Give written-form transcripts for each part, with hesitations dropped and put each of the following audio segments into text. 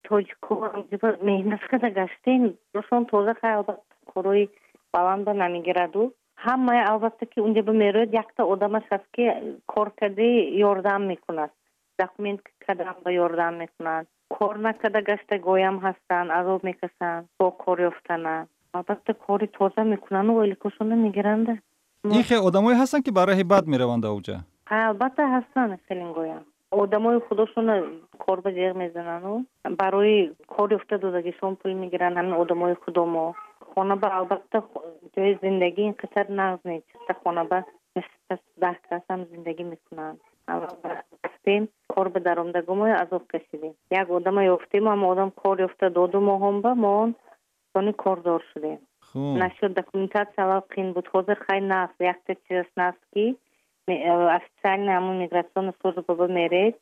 Тоҷико меҳнат карда гаштем, рошон тоза. Хай, албатта, корои баланда намегираду ҳамаи. Албатта, ки унҷа ба мерояд, якта одамаш ҳаст, ки кор карди ёрдам мекунад, документ кардам ба ёрдам мекунад. Кор накарда гаштагоям ҳастанд, азоб мекашанд бо кор ёфтана. Албатта, кори тоза мекунану ойликошона мегиранда. Ин хел одамое ҳастанд, ки ба раҳи бад мераванд ауҷа? Албатта, ҳастанд хелингоям. Одамои худошона кор ба ҷеғ мезанану барои кор ёфта додагишон пул мегиранд. Ҳамин одамои худомо хона ба, албатта, ҷои зиндагӣ ин қадар нағз нест. Хона ба 10 касам зиндагӣ мекунанд. Рафтем, кор ба даромдагомои азоб кашидем. Як одама ёфтем, ама одам кор ёфта доду моҳон ба моон сони кордор шудем. Насчет документация аввал қин буд, ҳозир хай нағз. Якта чиз нағз, ки официально ҳамун миграционная служба ба меред,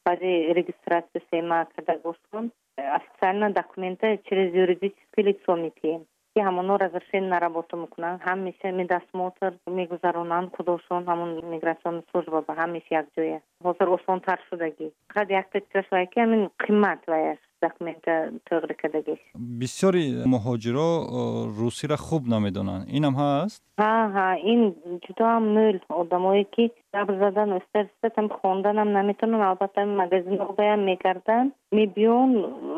баъди регистрация сема кардагошон официально документа через юридическое лицо метиҳем, ки ҳамоно разрешение на работу мекунанд, ҳамеша медосмотр мегузаронанд худошон. Ҳамун миграционная служба ба ҳамеша якҷоя. Ҳозир осонтар шудагӣ. Фақат якта чизаш вай, ки ҳамин қимат ваяш, документа тӯғри кардагиш. Бисёри муҳоҷиро русиро хуб намедонанд, инам ҳаст? Ҳа, ин ҷудоам мӯл. Одамое ки гап задан оста хонданам наметавонанд. Албатта, магазинобаям мегарданд, мебиён,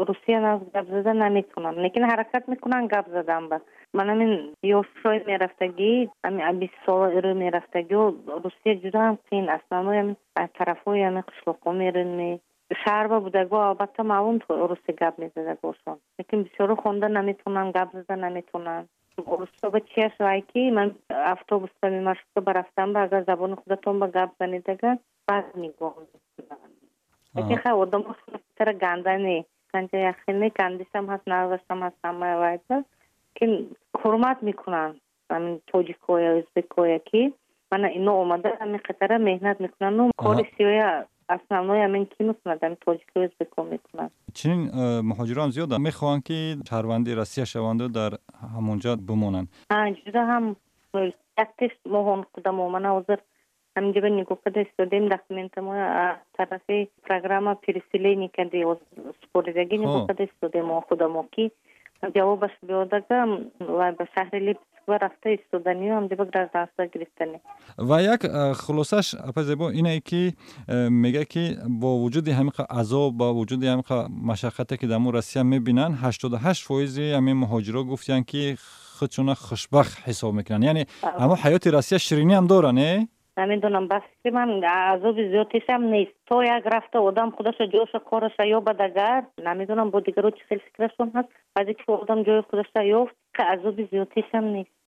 русия нағз гап зада наметавонанд, лекин ҳаракат мекунанд гап задан. Ба ман ҳамин ёшҳои мерафтагӣ, ҳамин 20 сола рӯ мерафтагио, Русия ҷудоам қин. Основной ҳамин тарафҳои ҳамин қишлоқҳо мерӯн. Шаҳрба будаго, албатта, маълум, руси гап мезадагошон, лекин бисёро хонда наметавонанд, гап зада наметавонанд. Русоба чиаш вай, ки ман автобусба, маршрутка ба рафтан ба, агар забони худатон ба гап занед, агар бад нигоҳ мекунанд. Лекин хай, одамо тара ганда не, канҷа яхел не, гандишам ҳаст, нағзашам ҳаст, ҳамаи вайба. Лекин ҳурмат мекунанд ҳамин тоҷикоя, ӯзбекоя, ки мана ино омада ҳамин қатара меҳнат мекунанду кори сиёя основной ҳамин ки мекунад, ҳамин тоҷико, ӯзбеко мекунад. Чунин муҳоҷирон зиёданд, мехоҳанд, ки шаҳрванди Россия шаванду дар ҳамонҷо бимонанд. Ҷуда ҳам яктеш моҳон худамо. Мана ҳозир ҳаминҷа ба нигоҳ карда истодем, документамо тарафи программа переселение кади супоридагӣ нигоҳ карда истодем мо худамо, ки ҷавобаш биёдага, вай ба шаҳри Липецк рафта истоданию ҳамҷоба гражданство гирифтани. Ва як хулосаш, апа Зебо, ине ки мегӯяд, ки бо вуҷуди ҳамин азоб, бо вуҷуди ҳамин машаққате, ки дар мо Россия мебинанд, 88 фоизи ҳамин муҳоҷиро гуфтиянд, ки худшона хушбахт ҳисоб мекунанд. Яъне ҳамон ҳаёти Россия ширинӣ ҳам дора, не? Намедонам, ба фикри ман, азоби зиёдтишам нест. То як рафта одам худаша, ҷоша, кораша ёбад, агар намедонам, бо дигаро чӣ хел фикрашон ҳаст, баъде ки одам ҷои худаша ёфт, азоби зиёдтишам нест.